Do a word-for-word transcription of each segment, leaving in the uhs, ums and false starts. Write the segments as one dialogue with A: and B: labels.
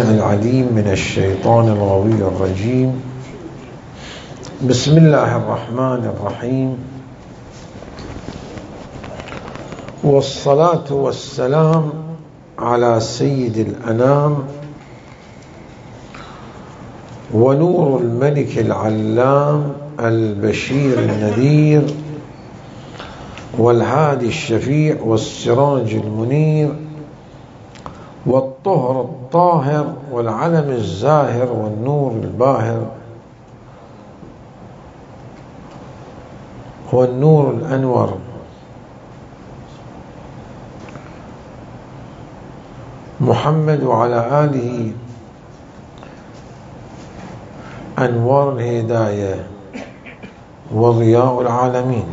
A: العليم من الشيطان الغوي الرجيم. بسم الله الرحمن الرحيم، والصلاة والسلام على سيد الأنام ونور الملك العلام البشير النذير والهادي الشفيع والسراج المنير والطهر الطاهر والعلم الزاهر والنور الباهر والنور الأنور محمد وعلى آله أنوار الهداية وضياء العالمين.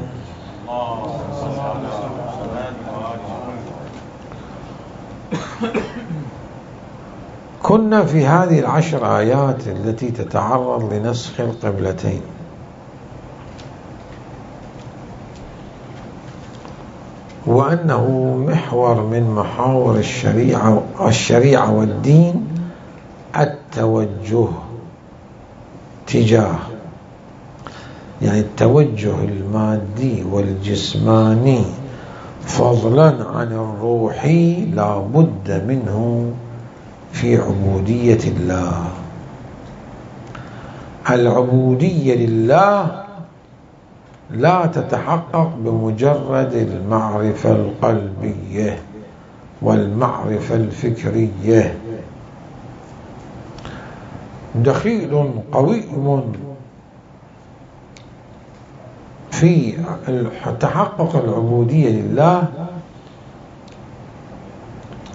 A: كنا في هذه العشر آيات التي تتعرض لنسخ القبلتين، وأنه محور من محاور الشريعة الشريعة والدين التوجه تجاه، يعني التوجه المادي والجسماني فضلا عن الروحي لا بد منه في عبودية الله. العبودية لله لا تتحقق بمجرد المعرفة القلبية والمعرفة الفكرية. دخيل قويم في تحقق العبودية لله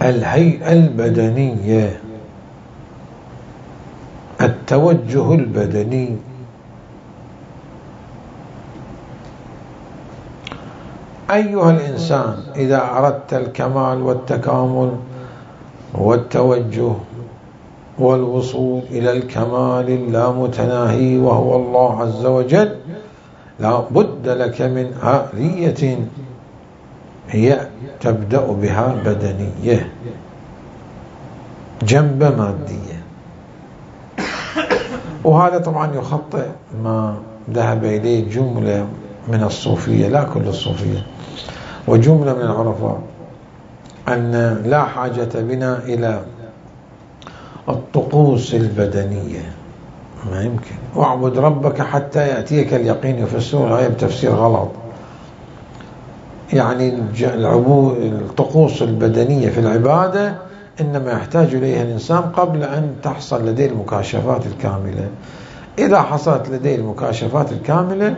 A: الهيئة البدنية، التوجه البدني. أيها الإنسان، إذا أردت الكمال والتكامل والتوجه والوصول إلى الكمال اللامتناهي وهو الله عز وجل، لا بد لك من آلية هي تبدأ بها بدنية جنب مادية. وهذا طبعا يخطئ ما ذهب إليه جملة من الصوفية، لا كل الصوفية، وجملة من العرفاء، أن لا حاجة بنا إلى الطقوس البدنية. ما يمكن. واعبد ربك حتى يأتيك اليقين، يفسرون الآية بتفسير غلط. يعني العبود الطقوس البدنية في العبادة إنما يحتاج إليها الإنسان قبل أن تحصل لديه المكاشفات الكاملة. إذا حصلت لديه المكاشفات الكاملة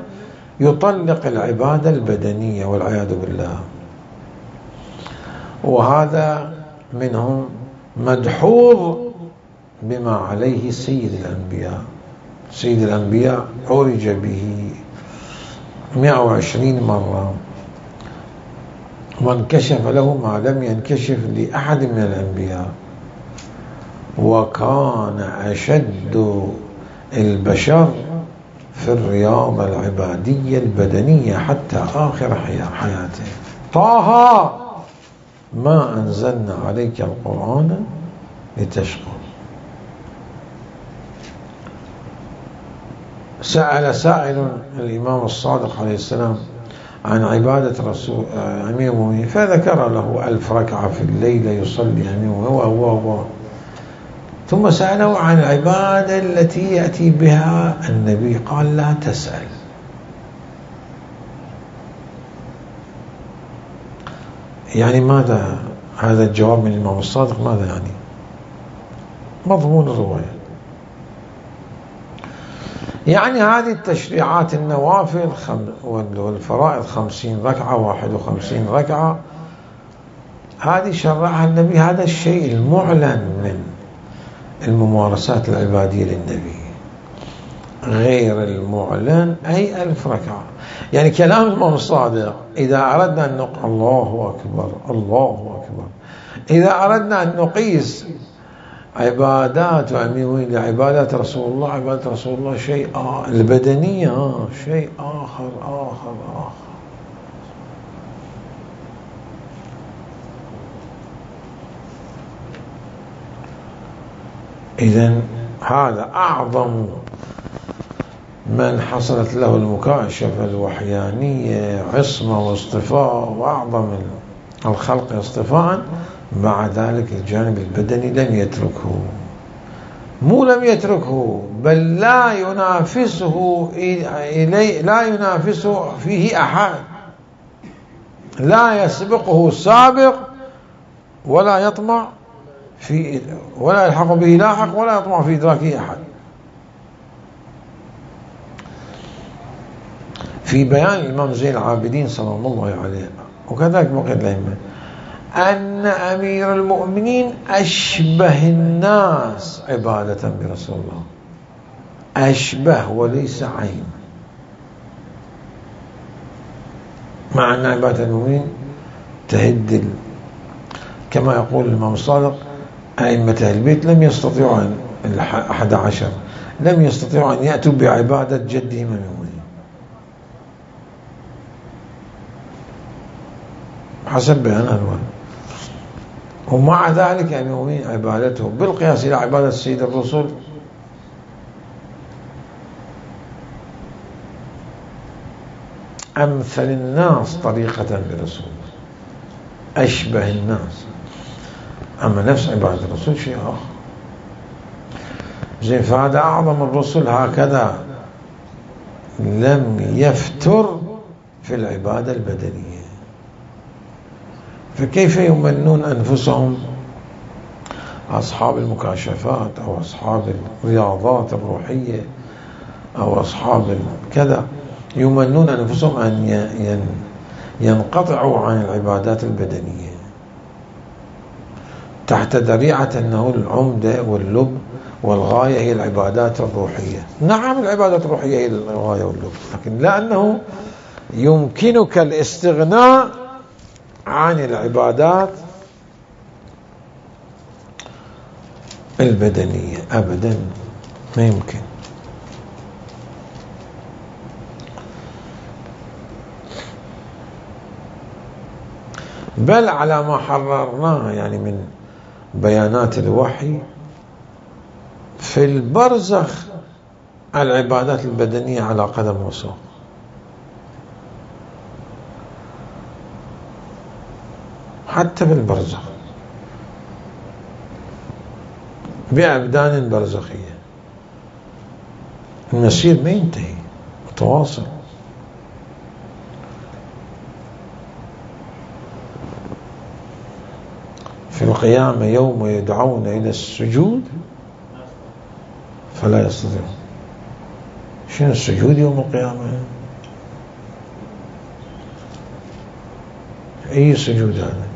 A: يطلق العبادة البدنية والعياذ بالله. وهذا منهم مدحوظ بما عليه سيد الأنبياء. سيد الأنبياء عرج به مئة وعشرين مرة، وانكشف له ما لم ينكشف لأحد من الأنبياء، وكان أشد البشر في الرياضة العبادية البدنية حتى آخر حياته. طه ما أنزلنا عليك القرآن لتشقى. سأل سائل الإمام الصادق عليه السلام عن عبادة رسول أمير المؤمنين، فذكر له ألف ركعة في الليلة يصلي أمير هو هو هو ثم سأله عن العبادة التي يأتي بها النبي، قال لا تسأل. يعني ماذا هذا الجواب من الإمام الصادق؟ ماذا يعني مضمون الرواية؟ يعني هذه التشريعات النوافل والفرائض خمسين ركعة واحد وخمسين ركعة هذه شرعها النبي، هذا الشيء المعلن من الممارسات العبادية للنبي. غير المعلن أي ألف ركعة. يعني كلام الإمام الصادق إذا أردنا أن نقول الله أكبر الله أكبر، إذا أردنا أن نقيس عبادات وأمين لعبادات رسول الله، عبادات رسول الله شيء آه البدنية آه شيء آخر آخر آخر. إذن هذا أعظم من حصلت له المكاشفة الوحيانية عصمة واصطفاء، وأعظم الخلق اصطفاء. مع ذلك الجانب البدني لم يتركه، مو لم يتركه بل لا ينافسه إليه، لا ينافسه فيه أحد، لا يسبقه سابق ولا يطمع في، ولا يلحق به لاحق، ولا يطمع في إدراكه أحد. في بيان الإمام زين العابدين صلى الله عليه وكذلك بقية الأئمة أن أمير المؤمنين أشبه الناس عبادة برسول الله، أشبه وليس عين، مع أن عبادة المؤمنين تهد، كما يقول الإمام الصادق أئمة البيت لم يستطيعوا أن الأحد عشر لم يستطيعوا أن يأتوا بعبادة جدهم المؤمنين حسب بيان الوالد. ومع ذلك المؤمنين عبادته بالقياس إلى عبادة سيد الرسل أمثل الناس طريقة برسول، أشبه الناس. أما نفس عبادة الرسول شيء آخر. زين، فهذا أعظم الرسل هكذا لم يفتر في العبادة البدنية، فكيف يمنون أنفسهم أصحاب المكاشفات أو أصحاب الرياضات الروحية أو أصحاب كذا، يمنون أنفسهم أن ينقطعوا عن العبادات البدنية تحت ذريعة أنه العمدة واللب والغاية هي العبادات الروحية. نعم العبادات الروحية هي الغاية واللب، لكن لأنه يمكنك الاستغناء عن العبادات البدنية أبدا ما يمكن. بل على ما حررناه يعني من بيانات الوحي، في البرزخ العبادات البدنية على قدم وساق، حتى في البرزخ بأبدان برزخية، المسير ما ينتهي متواصل. في القيامة يوم يدعون إلى السجود فلا يستطيعون. شنو السجود يوم القيامة؟ أي سجود هذا؟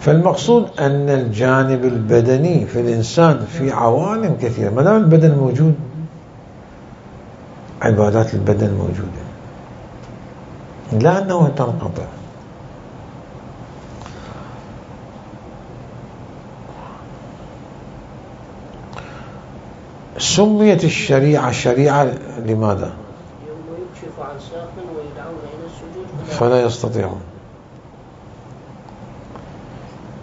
A: فالمقصود أن الجانب البدني في الإنسان في عوالم كثيرة، ما دام البدن موجود عبادات البدن موجودة، لا أنه تنقطع. سميت الشريعة شريعة لماذا؟
B: يوم يكشف عن ساق ويدعون إلى السجود
A: فلا يستطيعون.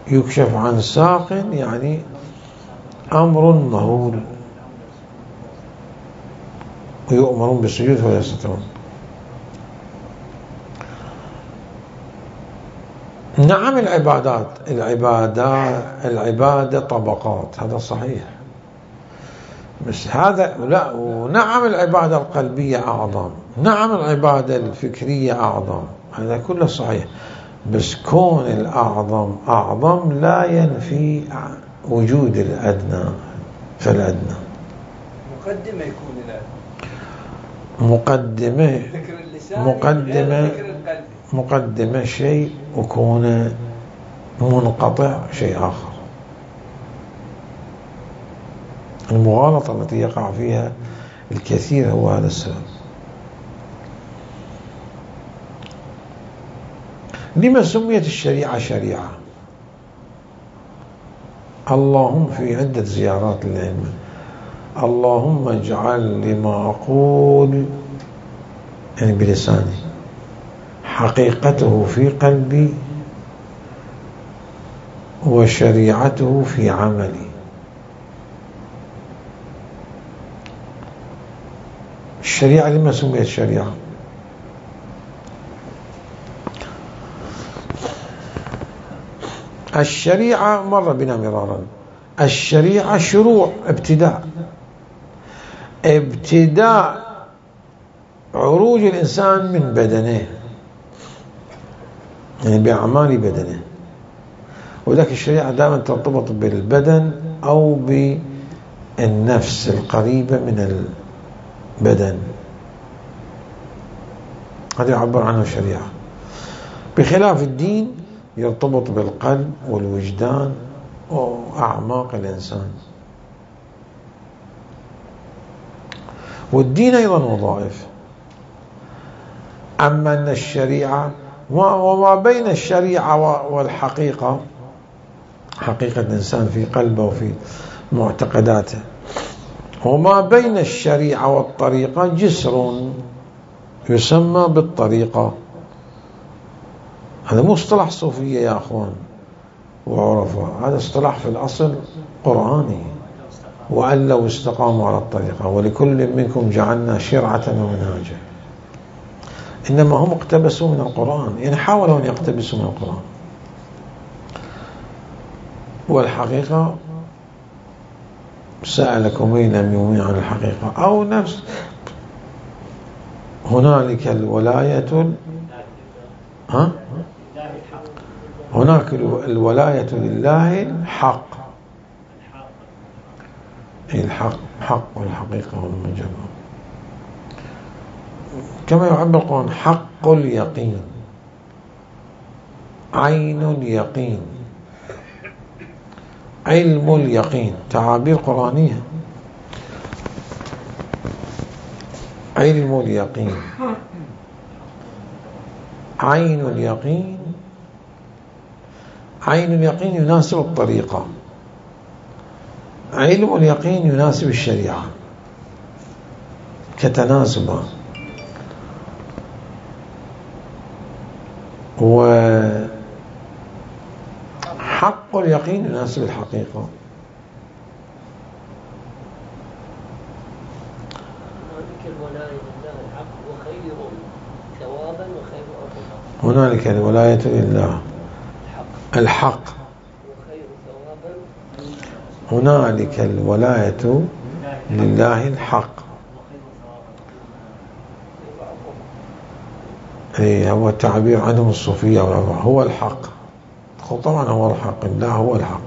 A: يكشف عن ساق يعني أمر مهول، ويؤمرون بالسجود فلا يستطيعون. نعم العبادات العبادة العبادة طبقات، هذا صحيح، بس هذا لا. ونعم العبادة القلبية أعظم، نعم العبادة الفكرية أعظم، هذا كله صحيح، بس كون الأعظم أعظم لا ينفي وجود الأدنى. فالأدنى
C: مقدمة يكون الأدنى،
A: مقدمة مقدمة مقدمة شيء، وكون منقطع شيء آخر. المغالطة التي يقع فيها الكثير هو هذا السبب. لما سميت الشريعة شريعة؟ اللهم في عدة زيارات للعلم، اللهم اجعل لما أقول يعني بلساني، حقيقته في قلبي، وشريعته في عملي. الشريعة لما سميت شريعة؟ الشريعة مر بنا مرارا، الشريعة شروع، ابتداء ابتداء عروج الإنسان من بدنه، يعني بأعمال بدنه. وذلك الشريعة دائما ترتبط بالبدن أو بالنفس القريبة من البدن، هذا يعبر عنه الشريعة. بخلاف الدين يرتبط بالقلب والوجدان وأعماق الإنسان. والدين أيضا وظائف. أما أن الشريعة وما بين الشريعة والحقيقة، حقيقة الإنسان في قلبه وفي معتقداته، وما بين الشريعة والطريقة جسر يسمى بالطريقة. هذا مو اصطلاح صوفية يا أخوان وعرفاء، هذا اصطلاح في الأصل قرآني. وأن لو استقاموا على الطريقة ولكل منكم جعلنا شرعة ومنهاجا. إنما هم اقتبسوا من القرآن، يعني حاولوا أن يقتبسوا من القرآن. والحقيقة سألكم من لم يؤمن عن الحقيقة أو نفس هنالك الولاية ها هناك الولاية لله الحق، الحق حق والحقيقة والمجرد، كما يعبر القرآن حق اليقين، عين اليقين، علم اليقين، تعابير قرآنية. علم اليقين، عين اليقين، عين اليقين يناسب الطريقة، علم اليقين يناسب الشريعة، كتناسبا. وحق اليقين يناسب الحقيقة. هنالك الولاية لله الحق، هنالك الولاية لله الحق. ايه هو التعبير عنهم الصوفية هو الحق، طبعا هو الحق، لا هو الحق.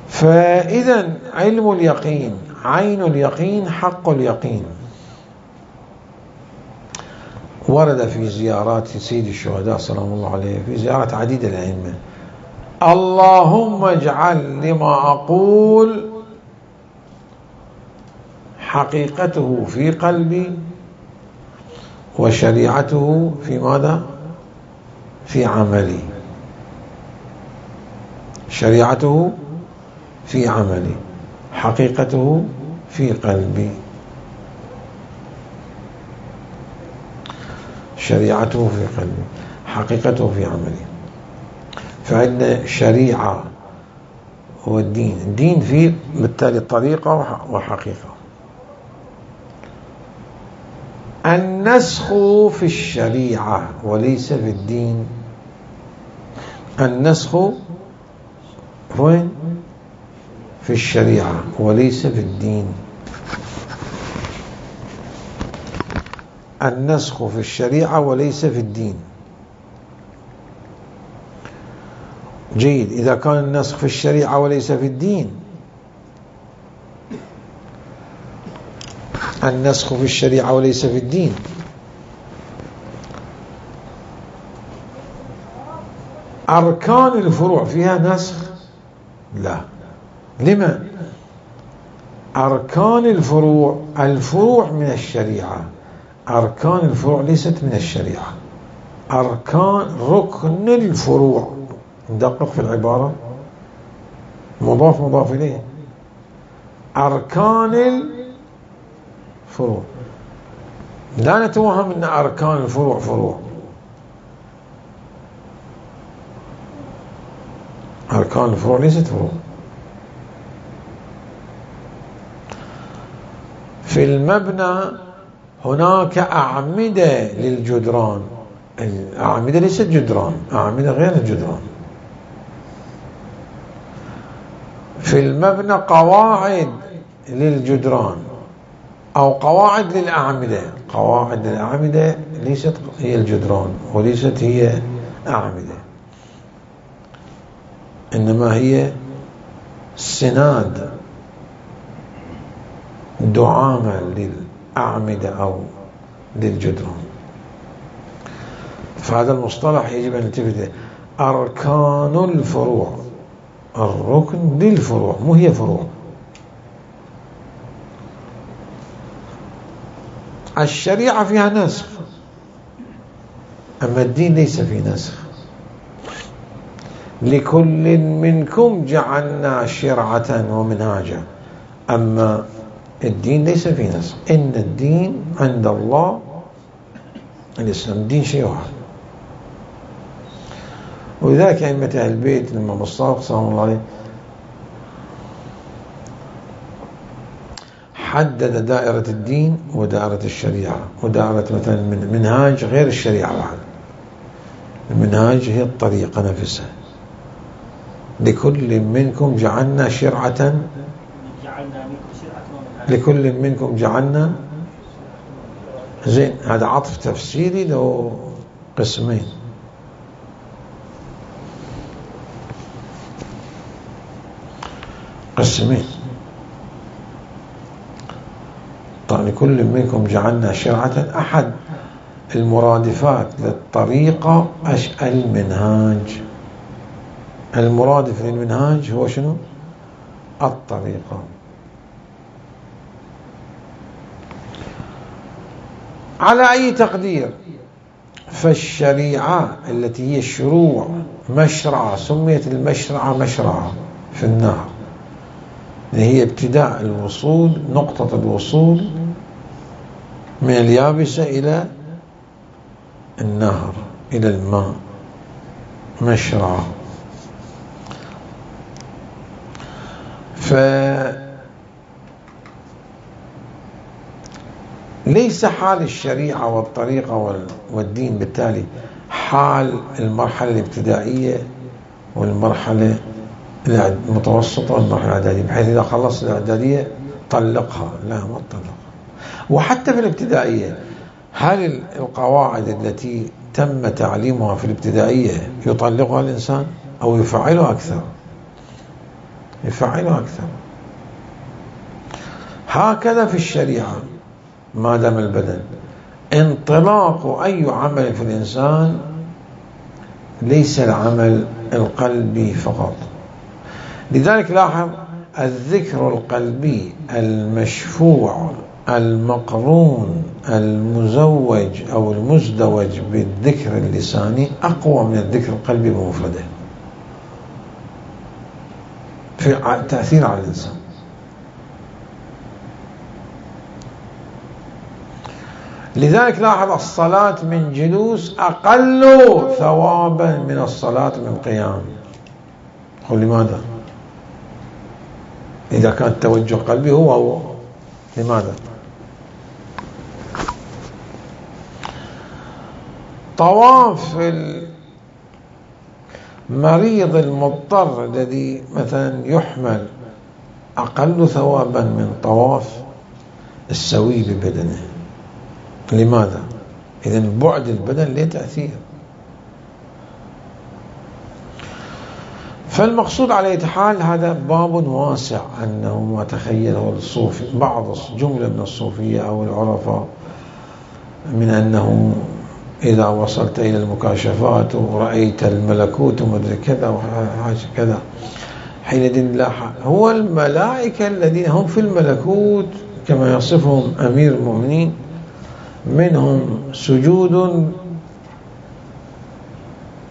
A: فإذا علم اليقين، عين اليقين، حق اليقين. ورد في زيارات سيد الشهداء سلام الله عليه، في زيارات عديدة الأئمة: اللهم اجعل لما أقول حقيقته في قلبي، وشريعته في ماذا؟ في عملي. شريعته في عملي، حقيقته في قلبي. شريعته في قلبي، حقيقته في عملي. فعندنا شريعة والدين، الدين فيه بالتالي طريقة وحقيقة. النسخ في الشريعة وليس في الدين. النسخ وين؟ في الشريعة وليس في الدين. النسخ في الشريعة وليس في الدين. جيد، إذا كان النسخ في الشريعة وليس في الدين، النسخ في الشريعة وليس في الدين، أركان الفروع فيها نسخ؟ لا. لما؟ أركان الفروع، الفروع من الشريعة، أركان الفروع ليست من الشريعة. أركان ركن الفروع، ندقق في العبارة، مضاف مضاف إليه، أركان الفروع. لا نتوهم أن أركان الفروع فروع. أركان الفروع ليست فروع. في المبنى هناك أعمدة للجدران، الأعمدة ليست جدران، أعمدة غير الجدران. في المبنى قواعد للجدران أو قواعد للأعمدة. قواعد للأعمدة ليست هي الجدران وليست هي أعمدة، إنما هي سناد دعامة للأعمدة أو للجدران. فهذا المصطلح يجب أن نلتفت. أركان الفروع، الركن للفروع مو هي فروع. الشريعة فيها نسخ، أما الدين ليس فيه نسخ. لكل منكم جعلنا شرعة ومنهاجا، أما الدين ليس فيه نسخ. إن الدين عند الله الإسلام، الدين شيء واحد. ولذلك أئمة أهل البيت الإمام الصادق سلام الله عليه حدد دائرة الدين ودائرة الشريعة، ودائرة مثلا المنهاج غير الشريعة بعد. المنهاج هي الطريقة نفسها. لكل منكم جعلنا شرعة، لكل منكم جعلنا، زين هذا عطف تفسيري له قسمين. قسمين طبعا. لكل منكم جعلنا شرعة، أحد المرادفات للطريقة المنهاج. المرادف للمنهاج هو شنو؟ الطريقة. على أي تقدير فالشريعة التي هي الشروع مشرعة، سميت المشرعة مشرعة في النهر، هي ابتداء الوصول، نقطة الوصول من اليابسة إلى النهر إلى الماء، مشرعة. فليس حال الشريعة والطريقة والدين بالتالي حال المرحلة الابتدائية والمرحلة المتوسطة والمرحلة الإعدادية، بحيث إذا خلصت الإعدادية طلقها، لا ما تطلقها. وحتى في الابتدائية هل القواعد التي تم تعليمها في الابتدائية يطلقها الإنسان أو يفعلها أكثر؟ يفعلها أكثر. هكذا في الشريعة ما دام البدن انطلاق أي عمل في الإنسان ليس العمل القلبي فقط. لذلك لاحظ الذكر القلبي المشفوع المقرون المزوج أو المزدوج بالذكر اللساني أقوى من الذكر القلبي بمفرده في التأثير على الإنسان. لذلك لاحظ الصلاة من جلوس أقل ثوابا من الصلاة من قيام. قل لماذا؟ إذا كان التوجه قلبي هو هو لماذا؟ طواف المريض المضطر الذي مثلا يحمل أقل ثوابا من طواف السوي ببدنه. لماذا؟ إذن بعد البدن له تأثير. فالمقصود على أي حال هذا باب واسع، أنه ما تخيله الصوفي بعض جملة من الصوفية أو العرفاء من أنه إذا وصلت إلى المكاشفات ورأيت الملكوت ومدري كذا وحاجة كذا حينئذ لا هو الملائكة الذين هم في الملكوت كما يصفهم أمير المؤمنين، منهم سجود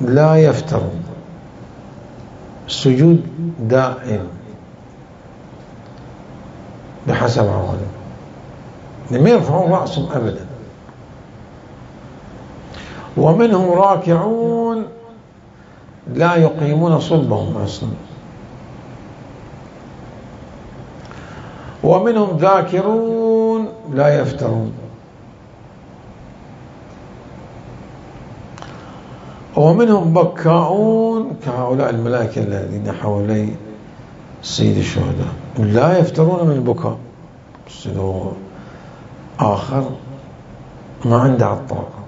A: لا يفترون، سجود دائم بحسب عوالم، لم يرفعون رأسهم أبدا. ومنهم راكعون لا يقيمون صلبهم أصلا، ومنهم ذاكرون لا يفترون، ومنهم بكاؤون كهؤلاء الملائكة الذين حولي سيد الشهداء لا يفترون من البكاء. آخر ما عنده الطاقة.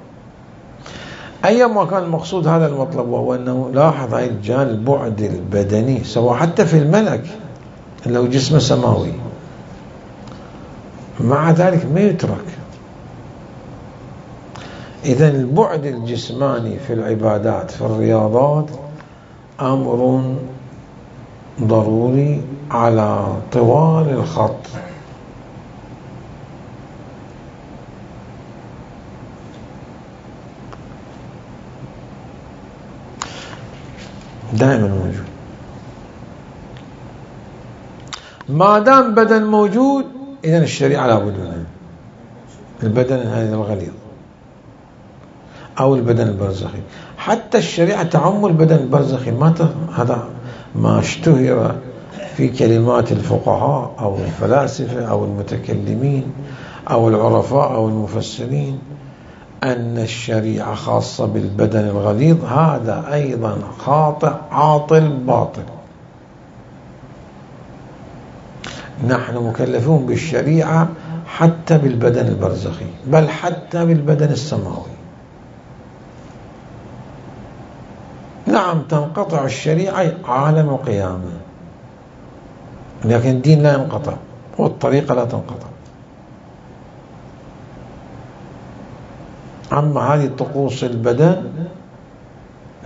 A: أيما كان المقصود هذا المطلب، وهو أنه لاحظ هاي الجانب البعد البدني سواء حتى في الملك لو جسمه سماوي، مع ذلك ما يترك. إذن البعد الجسماني في العبادات في الرياضات أمر ضروري على طوال الخط. دائما موجود. ما دام بدن موجود إذن الشريعة لابد منها. البدن هذا الغليظ أو البدن البرزخي، حتى الشريعة تعم البدن البرزخي. ما هذا ما اشتهر في كلمات الفقهاء أو الفلاسفة أو المتكلمين أو العرفاء أو المفسرين أن الشريعة خاصة بالبدن الغليظ، هذا أيضا خاطئ عاطل باطل. نحن مكلفون بالشريعة حتى بالبدن البرزخي، بل حتى بالبدن السماوي. نعم تنقطع الشريعة عالم القيامة، لكن الدين لا ينقطع والطريقة لا تنقطع. أما هذه طقوس البدن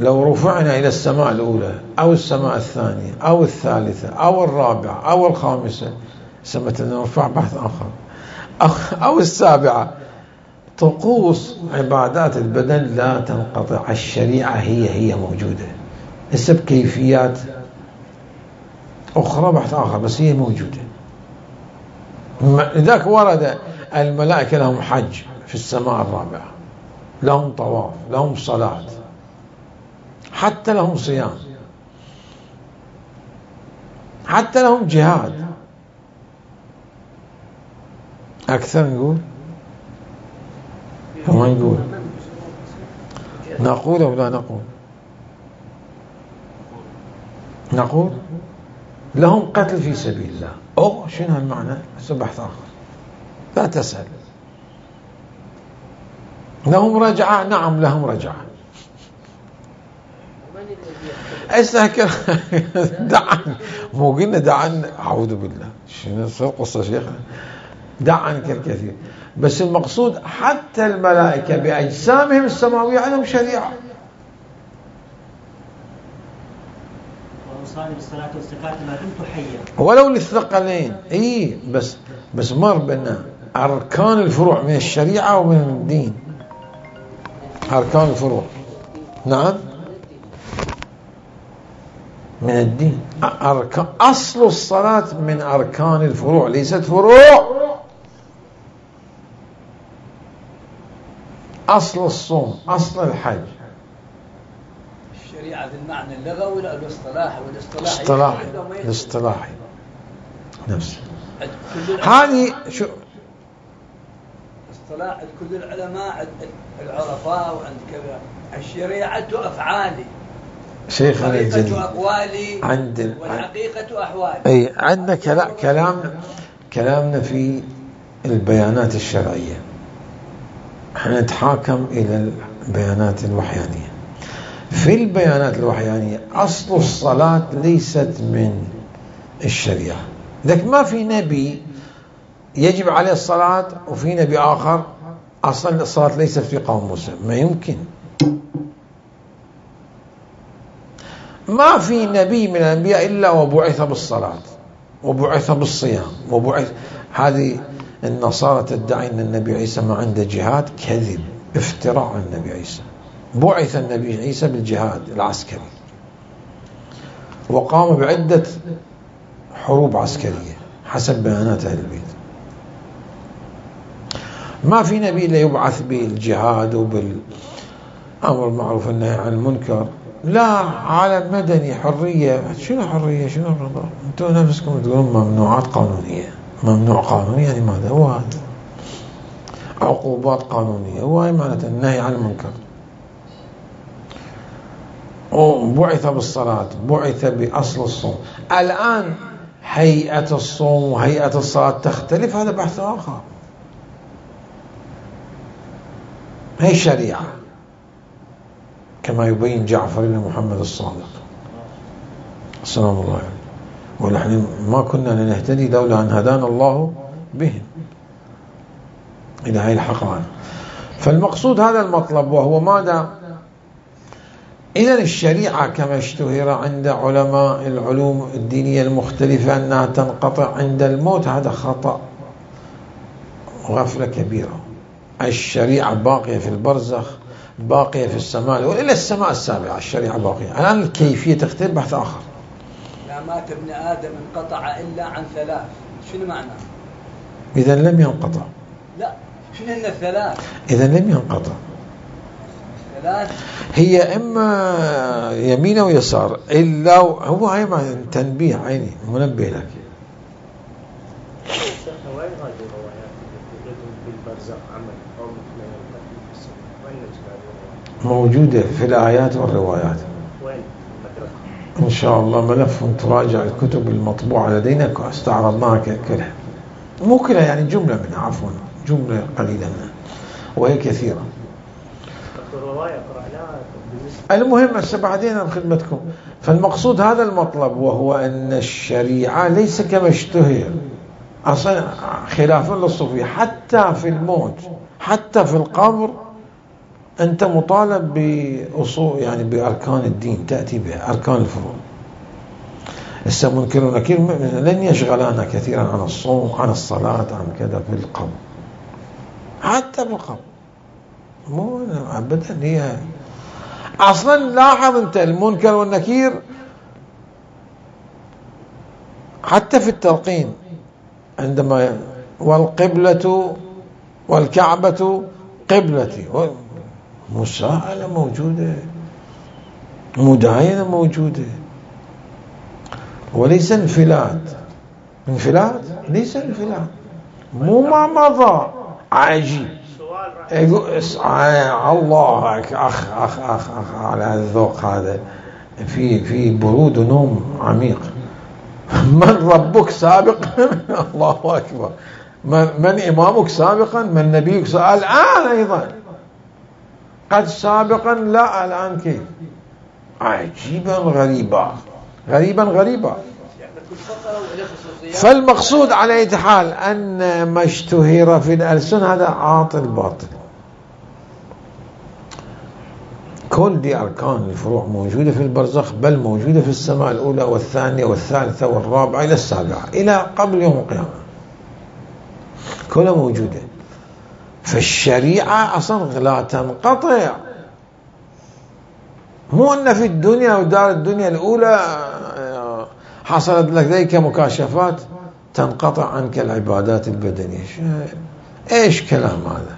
A: لو رفعنا إلى السماء الأولى أو السماء الثانية أو الثالثة أو الرابعة أو الخامسة، سمت نرفع بحث آخر، أو السابعة، طقوس عبادات البدن لا تنقطع. الشريعة هي هي موجودة، ليس بكيفيات أخرى بحث آخر، بس هي موجودة. لذلك ورد الملائكة لهم حج في السماء الرابعة، لهم طواف، لهم صلاة، حتى لهم صيام، حتى لهم جهاد. أكثر نقول فما نقول نقول أو لا نقول نقول لهم قتل في سبيل الله. أو شنو هالمعنى؟ بحث آخر لا تسأل. لهم رجعة، نعم لهم رجعة. استهكر دعا مو قلنا دعا، أعوذ بالله شنو صار قصة شيخنا، دع عنك الكثير. بس المقصود حتى الملائكة بأجسامهم السماوية عندهم شريعة.
D: وأوصاني بالصلاة والزكاة ما دمت حيا،
A: ولو للثقلين. إيه بس بس مر بنا أركان الفروع من الشريعة ومن الدين. أركان الفروع نعم من الدين. أركان أصل الصلاة من أركان الفروع، ليست فروع. أصل الصوم، أصل الحج.
C: الشريعة بالمعنى اللغوي ولا الاصطلاحي؟ والاصطلاحي
A: الاصطلاحي الاصطلاحي نفسه. هذه شو
C: اصطلاح كل العلماء العرفاء وعند كذا. الشريعة أفعالي،
A: شيخنا الجليل
C: أقوالي
A: عند
C: والحقيقة أحوالي.
A: أي عندنا كلام كلامنا في البيانات الشرعية، احنا نتحاكم إلى البيانات الوحيانية. في البيانات الوحيانية أصل الصلاة ليست من الشريعة. لكن ما في نبي يجب عليه الصلاة وفي نبي آخر أصلا الصلاة ليست في قوم موسى، ما يمكن. ما في نبي من الأنبياء إلا وبعث بالصلاة وبعث بالصيام وبعث. هذه النصارى تدعي أن النبي عيسى ما عنده جهاد، كذب، افتراء عن النبي عيسى. بعث النبي عيسى بالجهاد العسكري وقام بعدة حروب عسكرية حسب بيانات أهل البيت. ما في نبي إلا يبعث بالجهاد أمر معروف النهي عن المنكر، لا عالم مدني حرية. شنو حرية؟ شنو رضا؟ أنتم نفسكم تقولون ممنوعات قانونية. ممنوع قانوني يعني ماذا هو هذا؟ عقوبات قانونية، هو هاي معناته النهي عن المنكر. وبعث بالصلاة، بعث بأصل الصوم. الآن هيئة الصوم وهيئة الصلاة تختلف، هذا بحث آخر. هي الشريعة كما يبين جعفر بن محمد الصادق سلام الله عليه. ونحن ما كنا لنهتدي لولا أن هدانا الله بهم إلى هذه الحقائق. فالمقصود هذا المطلب، وهو ماذا؟ إذن الشريعة كما اشتهر عند علماء العلوم الدينية المختلفة أنها تنقطع عند الموت، هذا خطأ وغفلة كبيرة. الشريعة باقية في البرزخ، باقية في السماء وإلى السماء السابعة، الشريعة باقية. الآن الكيفية تختلف، بحث آخر.
C: لا مات ابن آدم انقطع إلا عن ثلاث، شنو معنى؟
A: إذا لم ينقطع.
C: لا، شنو هن الثلاث؟
A: إذا لم ينقطع.
C: ثلاث
A: هي إما يمين أو يسار، إلا هو هاي معنى تنبيه عيني، منبه لك.
B: شيخ وين هذه الروايات اللي بالبرزخ عمل أو مثل وين نجد؟
A: موجودة في الآيات والروايات.
B: وين؟
A: إن شاء الله ملف تراجع الكتب المطبوعة لدينا استعرضناها كلها، مو كلها يعني جملة منها، عفوا جملة قليلة منها وهي كثيرة. المهم هسه بعدين بخدمتكم. فالمقصود هذا المطلب، وهو أن الشريعة ليس كما اشتهر أصلا، خلافا للصوفية. حتى في الموت، حتى في القبر، أنت مطالب بأصول يعني بأركان الدين تأتي بها، أركان الفروض. هسه منكر ونكير لن يشغلنا كثيرا عن الصوم، عن الصلاة، عن كذا في القبر. حتى في القبر مو أبدا. هي أصلا لاحظ أنت المنكر والنكير حتى في التلقين، عندما والقبلة والكعبة قبلتي، مساءلة موجودة، مداينة موجودة، وليس انفلات. انفلات ليس انفلات، مو ما مضى. عجيب. الله أخ أخ أخ أخ, أخ على الذوق هذا، في في برود ونوم عميق. من ربك سابقا؟ الله أكبر. من, من إمامك سابقا؟ من نبيك سابقا؟ الآن أيضا قد سابقا، لا الآن كيف؟ عجيبا غريبا، غريبا غريبا. فالمقصود على أي حال أن ما اشتهر في الألسن هذا عاطل باطل. كل دي أركان الفروع موجودة في البرزخ، بل موجودة في السماء الأولى والثانية والثالثة والرابعة إلى السابعة، إلى قبل يوم القيامة كلها موجودة. فالشريعة أصلا لا تنقطع. مو أن في الدنيا ودار الدنيا الأولى حصلت لك ذيك مكاشفات تنقطع عنك العبادات البدنية. ايش كلام هذا؟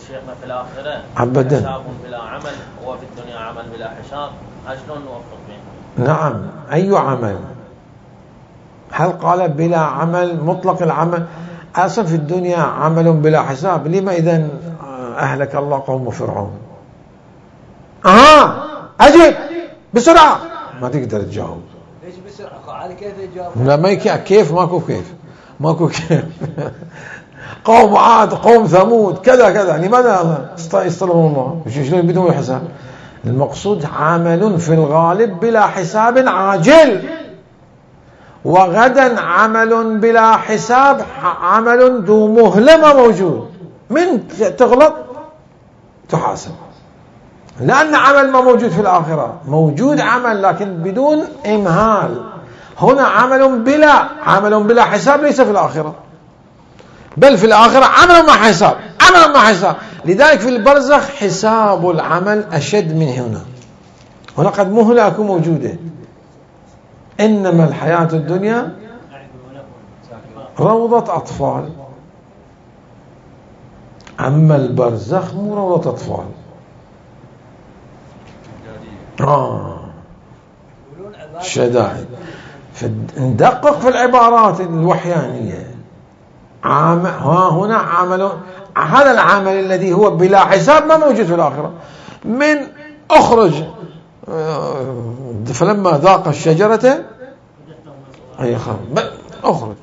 E: شيخنا في الآخرة
A: أبدا
E: حساب بلا عمل، وفي الدنيا عمل بلا حساب، شلون نوفق بينهم؟
A: نعم، أي عمل؟ هل قال بلا عمل مطلق العمل؟ أصلا في الدنيا عمل بلا حساب. لما إذن أهلك الله قوم فرعون؟ آه أجيب بسرعة، ما تقدر تجاوب.
C: ليش بسرعة؟ على كيف يجاوب؟
A: لا ما يك... كيف ماكو كيف ماكو كيف قوم عاد، قوم ثمود، كذا كذا. لماذا يصطلبون الله؟ شلون بدون حساب؟ المقصود عمل في الغالب بلا حساب عاجل، وغدا عمل بلا حساب، عمل ذو مهلة موجود. من تغلط تحاسب، لأن عمل ما موجود في الآخرة. موجود عمل لكن بدون إمهال. هنا عمل بلا عمل بلا حساب ليس في الآخرة، بل في الآخرة عمل مع حساب، عمل مع حساب. لذلك في البرزخ حساب العمل أشد من هنا. هنا قد مهلة أكون موجودة. إنما الحياة الدنيا روضة أطفال، أما البرزخ مو روضة أطفال. آه شدائد. ندقق في العبارات الوحيانية. عام ها هنا عمل، هذا العمل الذي هو بلا حساب ما موجود في الآخرة. من أخرج فلما ذاق الشجرة أي خرج أخرج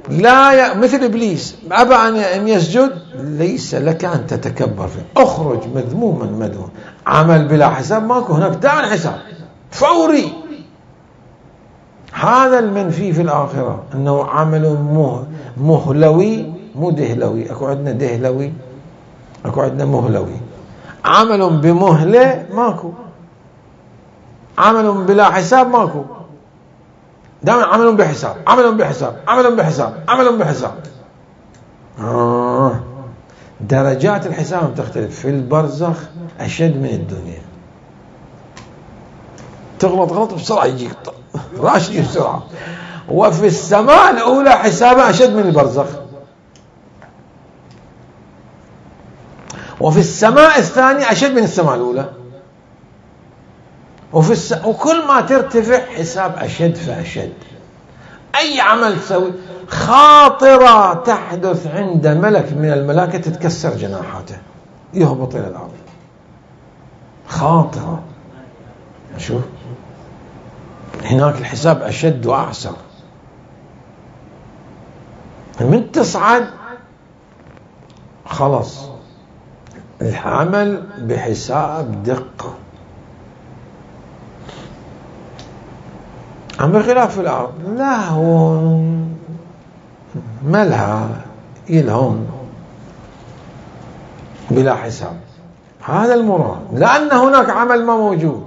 A: لا ي... مثل إبليس أبى أن يسجد، ليس لك أن تتكبر فيه، أخرج مذموما مدهون. عمل بلا حساب ماكو، هناك دع الحساب فوري. هذا المنفي في الآخرة أنه عمل مهلوي مو دهلوي. أكو عندنا دهلوي، أكو عندنا مهلوي. عمل بمهلة ماكو، عمل بلا حساب ماكو. دائما عمل بحساب، عمل بحساب، عمل بحساب، عمل بحساب. آه. درجات الحساب تختلف. في البرزخ أشد من الدنيا. تغلط غلط بسرعة يجيك راشد بسرعة. وفي السماء الأولى حسابها أشد من البرزخ. وفي السماء الثانية أشد من السماء الأولى. وفي الس... وكل ما ترتفع حساب أشد فأشد. أي عمل تسوي، خاطرة تحدث عند ملك من الملائكة تتكسر جناحاته يهبط إلى الأرض. خاطرة. شوف هناك الحساب أشد وأعسر. من تصعد خلص العمل بحساب دقة. أما بخلاف في الأرض لا، هو ملها يلهم بلا حساب. هذا المراد، لأن هناك عمل ما موجود.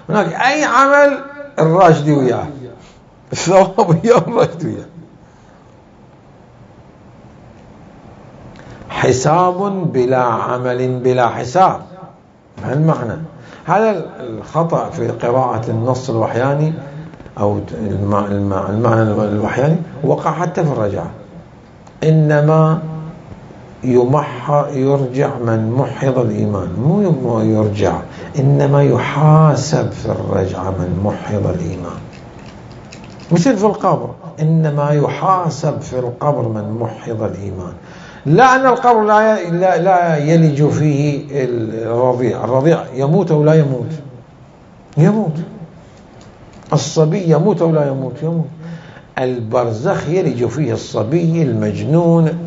A: هناك أي عمل الراشد وياه، الثواب وياه الراشد وياه. حساب بلا عمل بلا حساب. هالمعنى. هذا الخطأ في قراءة النص الوحياني أو المعنى الوحياني وقع حتى في الرجعة. إنما يمح يرجع من محض الإيمان، مو يرجع، إنما يحاسب في الرجعة من محض الإيمان. مثل في القبر، إنما يحاسب في القبر من محض الإيمان. لا أن القبر لا لا, لا يلج فيه الرضيع. الرضيع يموت أو لا يموت؟ يموت. الصبي يموت أو لا يموت؟ يموت. البرزخ يلج فيه الصبي، المجنون،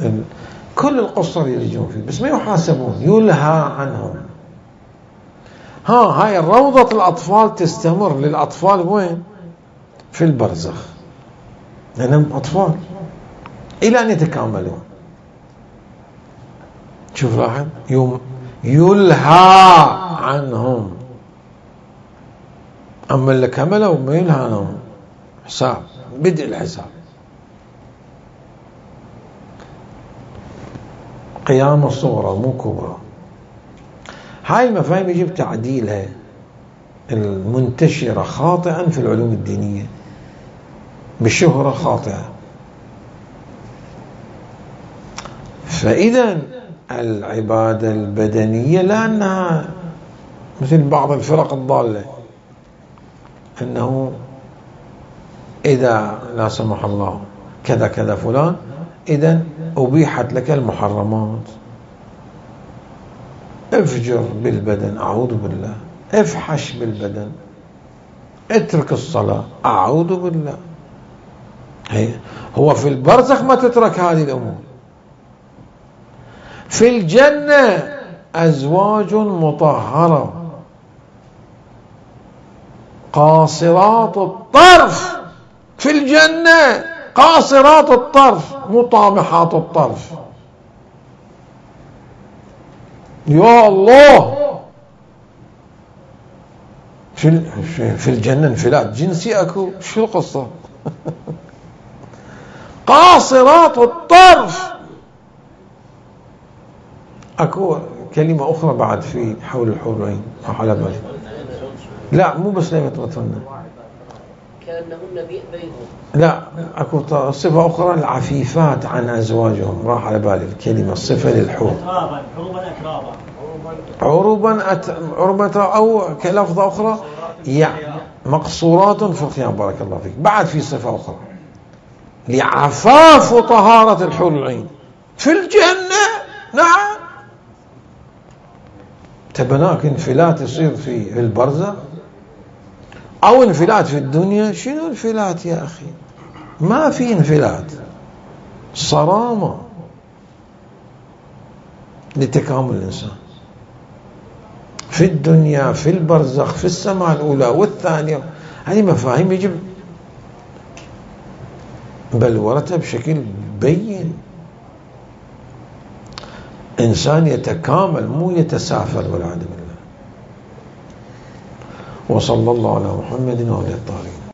A: كل القصر يلجون فيه، بس ما يحاسبون، يلهى عنهم. ها هاي روضة الأطفال تستمر للأطفال وين؟ في البرزخ، لأنهم أطفال إلى أن يتكاملون. شوف لاحظ، يوم يلهى عنهم. أما اللي كملوا ما يلهى عنهم، حساب، بدء الحساب. قيامة صغرى مو كبرى. هاي المفاهيم يجب تعديلها المنتشرة خاطئا في العلوم الدينية بشهرة خاطئة. فإذا العبادة البدنية لأنها مثل بعض الفرق الضالة، أنه إذا لا سمح الله كذا كذا فلان إذن أبيحت لك المحرمات. افجر بالبدن، أعوذ بالله. افحش بالبدن، اترك الصلاة، أعوذ بالله. هو في البرزخ ما تترك هذه الأمور. في الجنة أزواج مطهرة قاصرات الطرف. في الجنة قاصرات الطرف مطامحات الطرف. يا الله، في في الجنة انفلات جنسي اكو؟ شو القصة؟ قاصرات الطرف. اكو كلمة اخرى بعد في حول الحورين، حول بالي. لا مو بس لا يتغطن،
F: كأنهن بينهم.
A: لا، اكو صفة أخرى العفيفات عن أزواجهم، راح على بالي الكلمة، الصفة للحور.
D: أترابا، عروبا أترابا.
A: عروبا أت... عروبة أو كلفظة أخرى يعني مقصورات في الخيام. بارك الله فيك. بعد في صفة أخرى لعفاف وطهارة الحور العين في الجنة. نعم. تبناك انفلات يصير في البرزخ أو انفلات في الدنيا. شنو انفلات يا أخي؟ ما في انفلات، صرامة لتكامل الإنسان في الدنيا، في البرزخ، في السماء الأولى والثانية. هذه مفاهيم يجب بلورتها بشكل بين. إنسان يتكامل مو يتسافل والعياذ بالله. وصلى الله على محمد وعلى آله الطاهرين.